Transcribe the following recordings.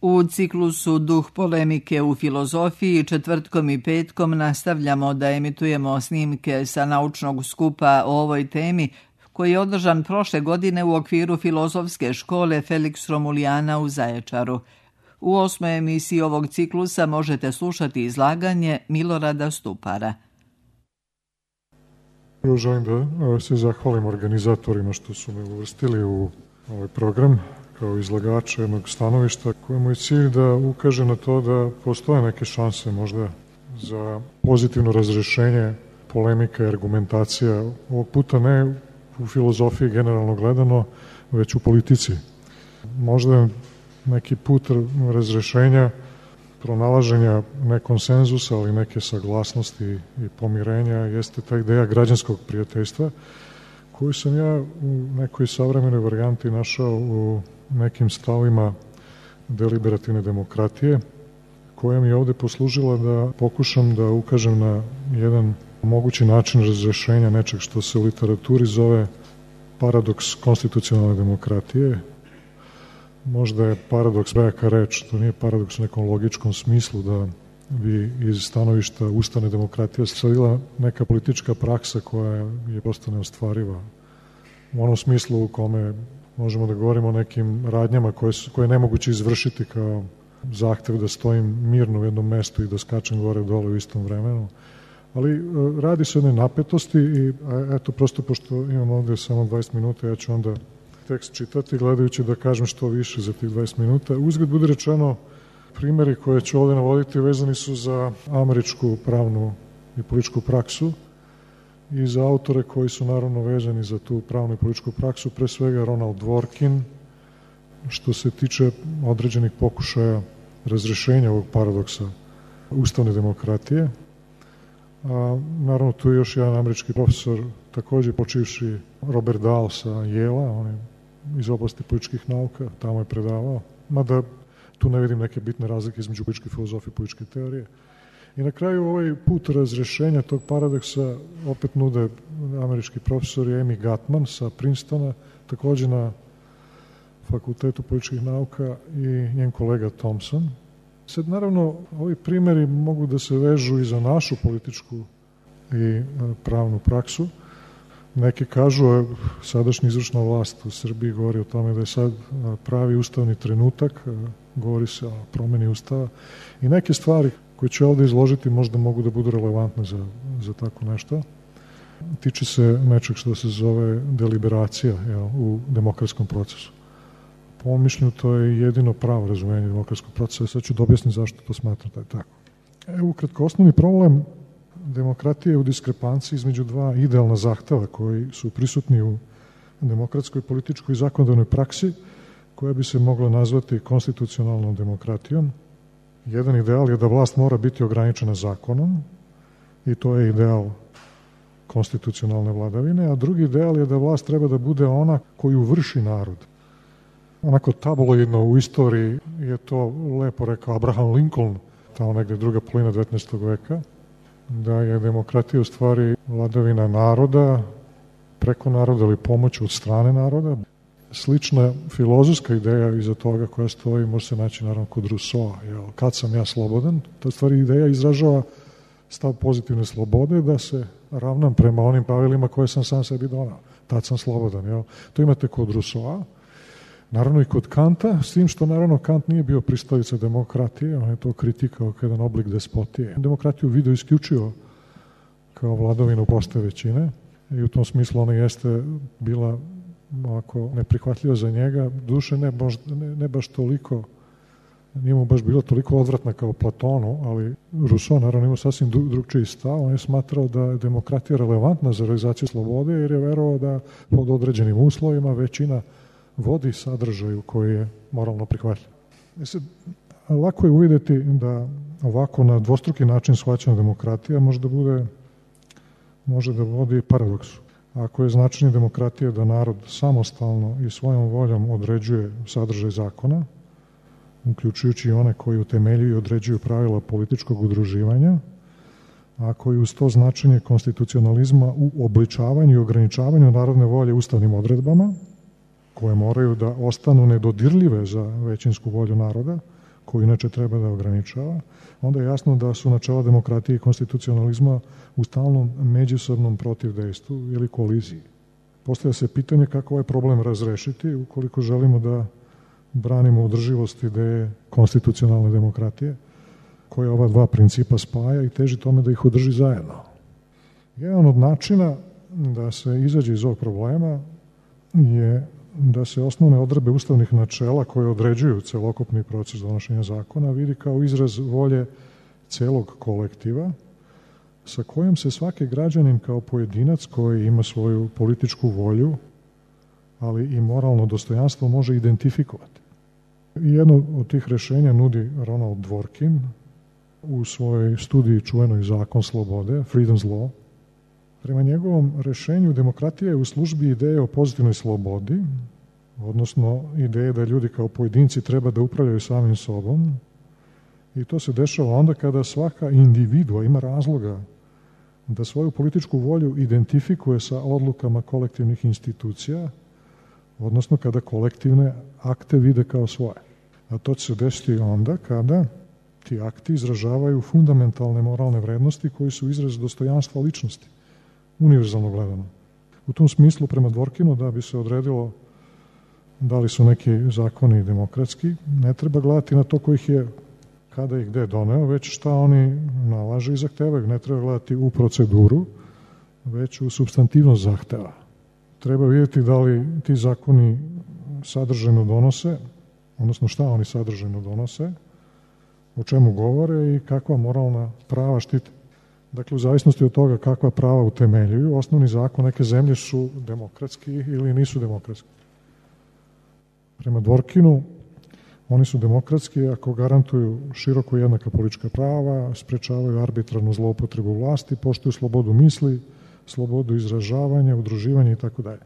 U ciklusu Duh polemike u filozofiji četvrtkom i petkom nastavljamo da emitujemo snimke sa naučnog skupa o ovoj temi koji je održan prošle godine u okviru filozofske škole Felix Romulijana u Zaječaru. U 8. emisiji ovog ciklusa možete slušati izlaganje Milorada Stupara. Želim da se zahvalim organizatorima što su me uvrstili u ovaj program kao izlagača jednog stanovišta kojemu je cilj da ukaže na to da postoje neke šanse možda za pozitivno razrešenje polemika i argumentacija. Ovog puta ne u filozofiji generalno gledano, već u politici. Možda neki put razrešenja, pronalaženja ne konsenzusa, ali neke saglasnosti i pomirenja jeste ta ideja građanskog prijateljstva koju sam ja u nekoj savremenoj varijanti našao u nekim stavima deliberativne demokratije, koja mi je ovde poslužila da pokušam da ukažem na jedan mogući način razrešenja nečeg što se u literaturi zove paradoks konstitucionalne demokratije. Možda je paradoks veka reč, to nije paradoks u nekom logičkom smislu da bi iz stanovišta ustavne demokratije stvorila neka politička praksa koja je prosto neostvariva. U onom smislu u kome možemo da govorimo o nekim radnjama koje je nemoguće izvršiti kao zahtev da stojim mirno u jednom mestu i da skačem gore dole u istom vremenu. Ali radi se o jednoj napetosti i eto prosto pošto imam ovde samo 20 minuta, ja ću onda tekst čitati gledajući da kažem što više za tih 20 minuta. Uzgled bude rečeno, primeri koje ću ovde navoditi vezani su za američku pravnu i političku praksu i za autore koji su naravno vezani za tu pravnu i političku praksu, pre svega Ronald Dworkin, što se tiče određenih pokušaja razrešenja ovog paradoksa ustavne demokratije. A, naravno, tu je još jedan američki profesor, takođe počivši Robert Dahl sa Yale-a, on je iz oblasti političkih nauka, tamo je predavao, mada tu ne vidim neke bitne razlike između političke filozofije i političke teorije. I na kraju ovaj put razrešenja tog paradoksa opet nude američki profesor Amy Gutman sa Princetona, takođe na Fakultetu političkih nauka i njen kolega Thompson. Sad, naravno, ovi primeri mogu da se vežu i za našu političku i pravnu praksu. Neki kažu, sadašnja izvršna vlast u Srbiji govori o tome da je sad pravi ustavni trenutak, govori se o promeni ustava i neke stvari koje ću ovde izložiti možda mogu da budu relevantne za tako nešto. Tiče se nečeg što se zove deliberacija u demokratskom procesu. Po mom mišljenju to je jedino pravo razumenje demokratskog procesa. Sad ću da objasnim zašto to smatram da je tako. Ukratko, osnovni problem demokratije je u diskrepanciji između dva idealna zahteva koji su prisutni u demokratskoj, političkoj i zakonodavnoj praksi koja bi se mogla nazvati konstitucionalnom demokratijom. Jedan ideal je da vlast mora biti ograničena zakonom i to je ideal konstitucionalne vladavine, a drugi ideal je da vlast treba da bude ona koju vrši narod. Onako tabloidno u istoriji je to lepo rekao Abraham Lincoln, tamo negde druga polovina 19. veka, da je demokratija u stvari vladavina naroda, preko naroda ili pomoć od strane naroda. Slična filozofska ideja iza toga koja stoji može se naći naravno kod Rousseau-a. Kad sam ja slobodan? Ta stvari ideja izražava stav pozitivne slobode da se ravnam prema onim pravilima koje sam sam sebi donao. Tad sam slobodan. To imate kod Rousseau-a. Naravno i kod Kanta, s tim što naravno Kant nije bio pristalica demokratije, on je to kritikao kao jedan oblik despotije. Demokratiju video isključio kao vladavinu proste većine i u tom smislu ona jeste bila ovako neprihvatljiva za njega, duše ne baš toliko, nije mu baš bilo toliko odvratna kao Platonu, ali Rousseau naravno imao sasvim drugčiji stav, on je smatrao da je demokratija relevantna za realizaciju slobode jer je verovao da pod određenim uslovima većina vodi sadržaju koji je moralno prihvatljiv. Lako je uvidjeti da ovako na dvostruki način shvaćena demokratija može da vodi paradoksu. Ako je značenje demokratije da narod samostalno i svojom voljom određuje sadržaj zakona, uključujući i one koji utemeljuju i određuju pravila političkog udruživanja, a koji uz to značenje konstitucionalizma u obličavanju i ograničavanju narodne volje ustavnim odredbama, koje moraju da ostanu nedodirljive za većinsku volju naroda, koju inače treba da ograničava, onda je jasno da su načela demokratije i konstitucionalizma u stalnom međusobnom protivdejstvu ili koliziji. Postavlja se pitanje kako ovaj problem razrešiti ukoliko želimo da branimo održivost ideje konstitucionalne demokratije, koja ova dva principa spaja i teži tome da ih održi zajedno. Jedan od načina da se izađe iz ovog problema je da se osnovne odredbe ustavnih načela koje određuju celokupni proces donošenja zakona vidi kao izraz volje celog kolektiva sa kojom se svaki građanin kao pojedinac koji ima svoju političku volju, ali i moralno dostojanstvo može identifikovati. Jedno od tih rešenja nudi Ronald Dworkin u svojoj studiji čuvenoj Zakon slobode, Freedom's Law. Prema njegovom rešenju demokratija je u službi ideje o pozitivnoj slobodi, odnosno ideje da ljudi kao pojedinci treba da upravljaju samim sobom, i to se dešava onda kada svaka individua ima razloga da svoju političku volju identifikuje sa odlukama kolektivnih institucija, odnosno kada kolektivne akte vide kao svoje. A to će se desiti onda kada ti akti izražavaju fundamentalne moralne vrednosti koji su izraz dostojanstva ličnosti, univerzalno gledano. U tom smislu, prema Dworkinu, da bi se odredilo da li su neki zakoni demokratski, ne treba gledati na to ko ih je kada i gde doneo, već šta oni nalaže i zahtevaju. Ne treba gledati u proceduru, već u supstantivnost zahteva. Treba vidjeti da li ti zakoni sadržajno donose, odnosno šta oni sadržajno donose, o čemu govore i kakva moralna prava štite. Dakle, u zavisnosti od toga kakva prava utemeljuju, osnovni zakon neke zemlje su demokratski ili nisu demokratski. Prema Dworkinu, oni su demokratski ako garantuju široko jednaka politička prava, sprečavaju arbitrarnu zloupotrebu vlasti, poštuju slobodu misli, slobodu izražavanja, udruživanja i tako dalje.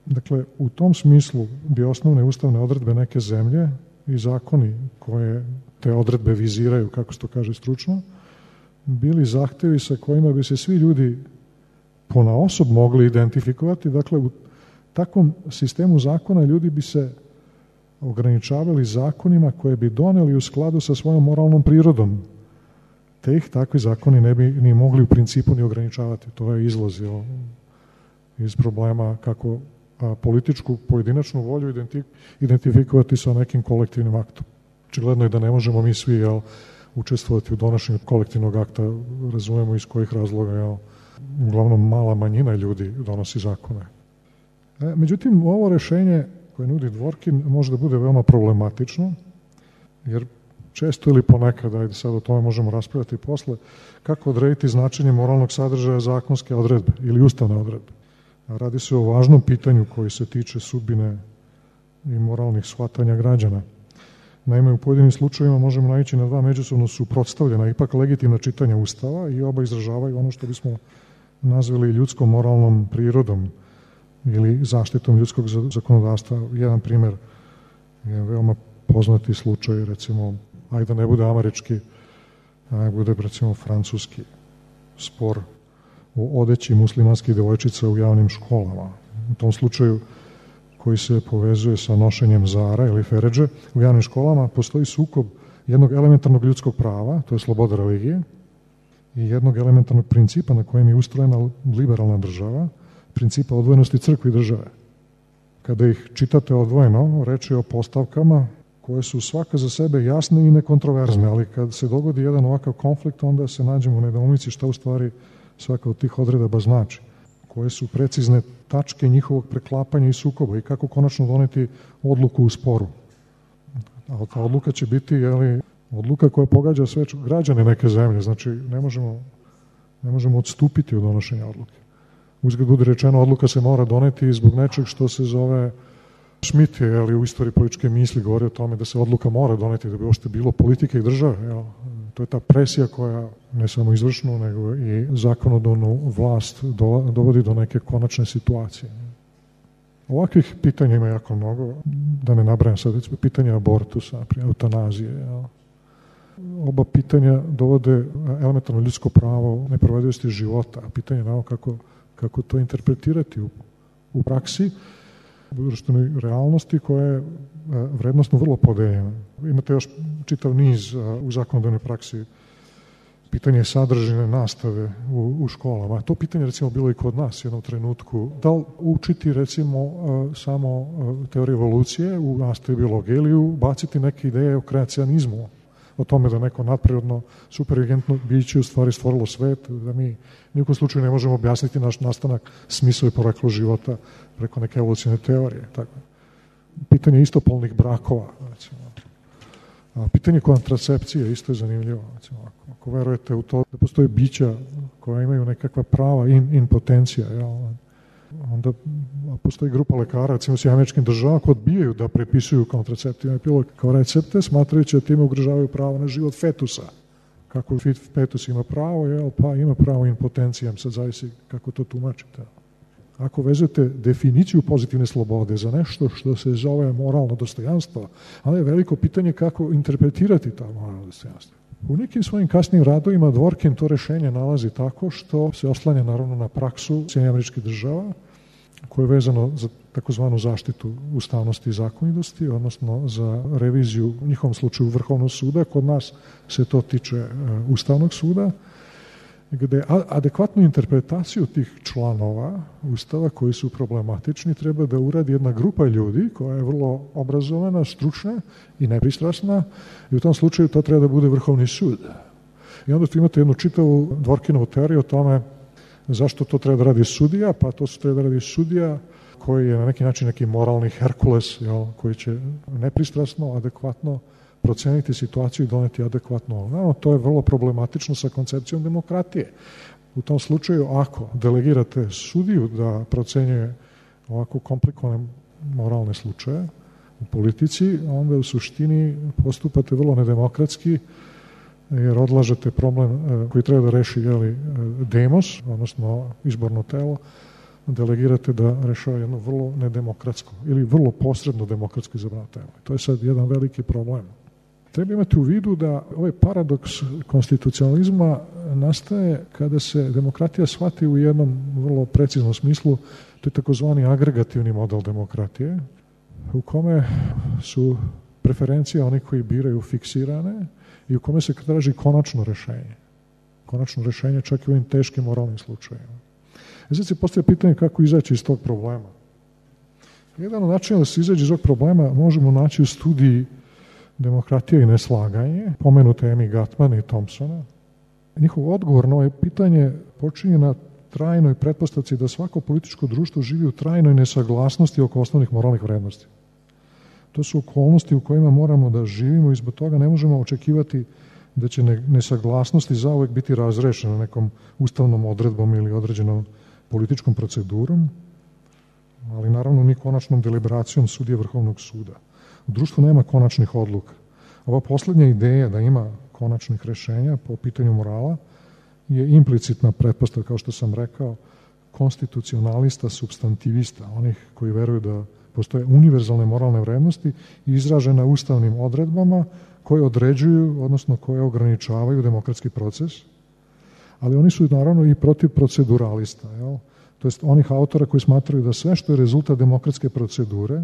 Dakle, u tom smislu bi osnovne ustavne odredbe neke zemlje i zakoni koje te odredbe viziraju, kako se to kaže stručno, bili zahtevi sa kojima bi se svi ljudi ponaosob mogli identifikovati. Dakle, u takvom sistemu zakona ljudi bi se ograničavali zakonima koje bi doneli u skladu sa svojom moralnom prirodom. Te ih takvi zakoni ne bi ni mogli u principu ni ograničavati. To je izlazilo iz problema kako političku pojedinačnu volju identifikovati sa nekim kolektivnim aktom. Očigledno je da ne možemo mi svi učestvovati u donošenju kolektivnog akta, razumemo iz kojih razloga uglavnom mala manjina ljudi donosi zakone. Međutim, ovo rešenje koje nudi Dworkin može da bude veoma problematično, jer često ili ponekad, ajde sad o tome možemo raspravljati posle, kako odrediti značenje moralnog sadržaja zakonske odredbe ili ustavne odredbe. Radi se o važnom pitanju koji se tiče sudbine i moralnih shvatanja građana. Naime, u pojedinim slučajevima možemo naići na dva međusobno suprotstavljena, ipak legitimna čitanja Ustava i oba izražavaju ono što bismo nazvali ljudskom moralnom prirodom ili zaštitom ljudskog zakonodavstva. Jedan primer je veoma poznati slučaj, recimo, ajde da ne bude američki, ajde bude recimo francuski spor o odeći muslimanskih devojčica u javnim školama. U tom slučaju, koji se povezuje sa nošenjem zara ili feredže, u javnim školama postoji sukob jednog elementarnog ljudskog prava, to je sloboda religije, i jednog elementarnog principa na kojem je ustrojena liberalna država, principa odvojenosti crkve i države. Kada ih čitate odvojeno, reč je o postavkama koje su svaka za sebe jasne i nekontroverzne, ali kad se dogodi jedan ovakav konflikt, onda se nađemo u nedoumici šta u stvari svaka od tih odredaba znači, koje su precizne tačke njihovog preklapanja i sukoba i kako konačno doneti odluku u sporu. A ta odluka će biti odluka koja pogađa sve građane neke zemlje, znači ne možemo odstupiti od donošenja odluke. Uzgled bude rečeno, odluka se mora doneti zbog nečeg što se zove Schmitt je u istoriji političke misli govori o tome da se odluka mora doneti da bi uopšte bilo politike i države. To je ta presija koja ne samo izvršnu, nego i zakonodavnu vlast dovodi do neke konačne situacije. Ovakvih pitanja ima jako mnogo, da ne nabrajam sad, pitanja abortusa, eutanazije. Oba pitanja dovode elementarno ljudsko pravo neprovedivosti života, a pitanje je kako to interpretirati u praksi. društvenoj realnosti koja je vrednostno vrlo podeljena. Imate još čitav niz u zakonodavnoj praksi pitanje sadržine nastave u školama. To pitanje recimo bilo i kod nas u jednom trenutku. Da li učiti recimo samo teoriju evolucije u nastavi biologije ili ubaciti neke ideje o kreacionizmu, o tome da neko nadprirodno, superinteligetno biće u stvari stvorilo svet, da mi nijekom slučaju ne možemo objasniti naš nastanak, smisao i poreklo života preko neke evolucijne teorije. Tako. Pitanje istopolnih brakova, recimo. Pitanje kontracepcije isto je zanimljivo. Recimo, ako verujete u to da postoje bića koja imaju nekakva prava impotencija, onda postoji grupa lekara, recimo s američkim državama, koji odbijaju da prepisuju kontraceptivne pilule kao recepte, smatrajući da time ugrožavaju pravo na život fetusa. Kako fetus ima pravo, pa ima pravo impotencijom, sad zavisi kako to tumačite. Ako vezujete definiciju pozitivne slobode za nešto što se zove moralno dostojanstvo, onda je veliko pitanje kako interpretirati ta moralno dostojanstvo. U nekim svojim kasnim radovima Dworkin to rešenje nalazi tako što se oslanja naravno na praksu Sjedinjenih Američkih Država, koje je vezano za takozvanu zaštitu ustavnosti i zakonitosti, odnosno za reviziju u njihovom slučaju Vrhovnog suda. Kod nas se to tiče Ustavnog suda, gde adekvatnu interpretaciju tih članova Ustava koji su problematični treba da uradi jedna grupa ljudi koja je vrlo obrazovana, stručna i nepristrasna, i u tom slučaju to treba da bude Vrhovni sud. I onda tu imate jednu čitavu Dworkinovu teoriju o tome zašto to treba da radi sudija, pa to treba da radi sudija koji je na neki način neki moralni Herkules, koji će nepristrasno, adekvatno proceniti situaciju i doneti adekvatno. No, to je vrlo problematično sa koncepcijom demokratije. U tom slučaju, ako delegirate sudiju da procenjuje ovako komplikovane moralne slučaje u politici, onda u suštini postupate vrlo nedemokratski, jer odlažete problem koji treba da reši demos, odnosno izborno telo, delegirate da rešava jedno vrlo nedemokratsko ili vrlo posredno demokratsko izabrano telo. To je sad jedan veliki problem. Treba imati u vidu da ovaj paradoks konstitucionalizma nastaje kada se demokratija shvati u jednom vrlo preciznom smislu, to je takozvani agregativni model demokratije, u kome su preferencije onih koji biraju fiksirane i u kome se traži konačno rešenje. Konačno rešenje čak i u ovim teškim moralnim slučajima. Sad se postavlja pitanje kako izaći iz tog problema. Jedan od načina da se izađe iz tog problema možemo naći u studiji Demokratija i neslaganje, pomenute Amy Gutman i Thompsona. Njihov odgovor na ovo pitanje počinje na trajnoj pretpostavci da svako političko društvo živi u trajnoj nesaglasnosti oko osnovnih moralnih vrednosti. To su okolnosti u kojima moramo da živimo i zbog toga ne možemo očekivati da će nesaglasnosti zauvek biti razrešene nekom ustavnom odredbom ili određenom političkom procedurom, ali naravno ni konačnom deliberacijom sudije Vrhovnog suda. U društvu nema konačnih odluka. Ova poslednja ideja da ima konačnih rešenja po pitanju morala je implicitna pretpostavka, kao što sam rekao, konstitucionalista, substantivista, onih koji veruju da postoje univerzalne moralne vrednosti izražene ustavnim odredbama koje određuju, odnosno koje ograničavaju demokratski proces, ali oni su naravno i protiv proceduralista, to jest onih autora koji smatraju da sve što je rezultat demokratske procedure,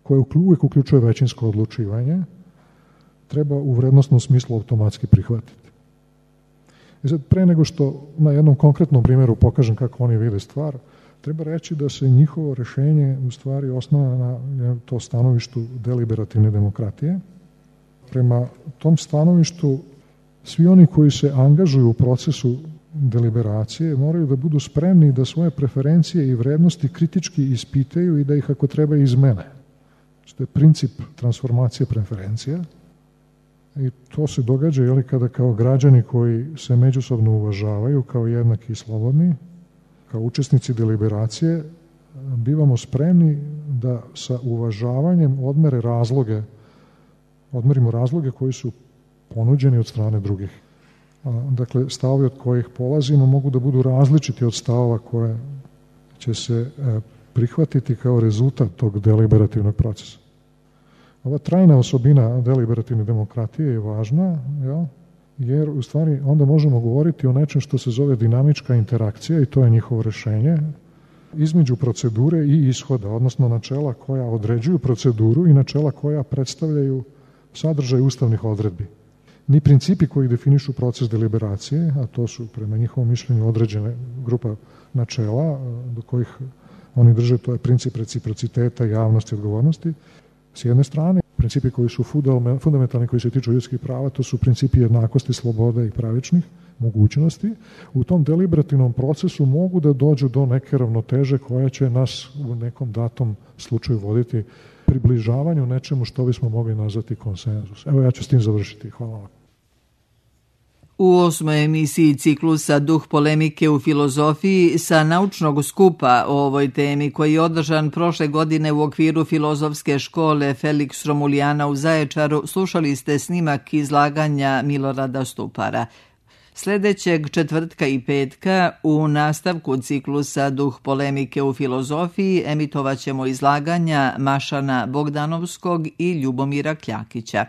koje uvijek uključuje većinsko odlučivanje, treba u vrednostnom smislu automatski prihvatiti. I sad, pre nego što na jednom konkretnom primjeru pokažem kako oni vide stvar, treba reći da se njihovo rešenje u stvari osnova na to stanovištu deliberativne demokratije. Prema tom stanovištu svi oni koji se angažuju u procesu deliberacije moraju da budu spremni da svoje preferencije i vrednosti kritički ispitaju i da ih ako treba izmene. To je princip transformacije preferencija i to se događa kada kao građani koji se međusobno uvažavaju kao jednaki i slobodni, kao učesnici deliberacije, bivamo spremni da sa uvažavanjem odmerimo razloge koji su ponuđeni od strane drugih. Dakle, stavovi od kojih polazimo mogu da budu različiti od stavova koje će se prihvatiti kao rezultat tog deliberativnog procesa. Ova trajna osobina deliberativne demokratije je važna, jer u stvari onda možemo govoriti o nečem što se zove dinamička interakcija i to je njihovo rešenje. između procedure i ishoda, odnosno načela koja određuju proceduru i načela koja predstavljaju sadržaj ustavnih odredbi. Ni principi koji definišu proces deliberacije, a to su prema njihovom mišljenju određene grupa načela do kojih oni drže, to je princip reciprociteta, javnosti i odgovornosti. S jedne strane, principi koji su fundamentalni, koji se tiču ljudskih prava, to su principi jednakosti, slobode i pravičnih mogućnosti. U tom deliberativnom procesu mogu da dođu do neke ravnoteže koja će nas u nekom datom slučaju voditi približavanju nečemu što bismo mogli nazvati konsenzus. Evo, ja ću s tim završiti. Hvala vam. U 8. emisiji ciklusa Duh polemike u filozofiji sa naučnog skupa o ovoj temi koji je održan prošle godine u okviru filozofske škole Felix Romulijana u Zaječaru slušali ste snimak izlaganja Milorada Stupara. Sljedećeg četvrtka i petka u nastavku ciklusa Duh polemike u filozofiji emitovat ćemo izlaganja Mašana Bogdanovskog i Ljubomira Kljakića.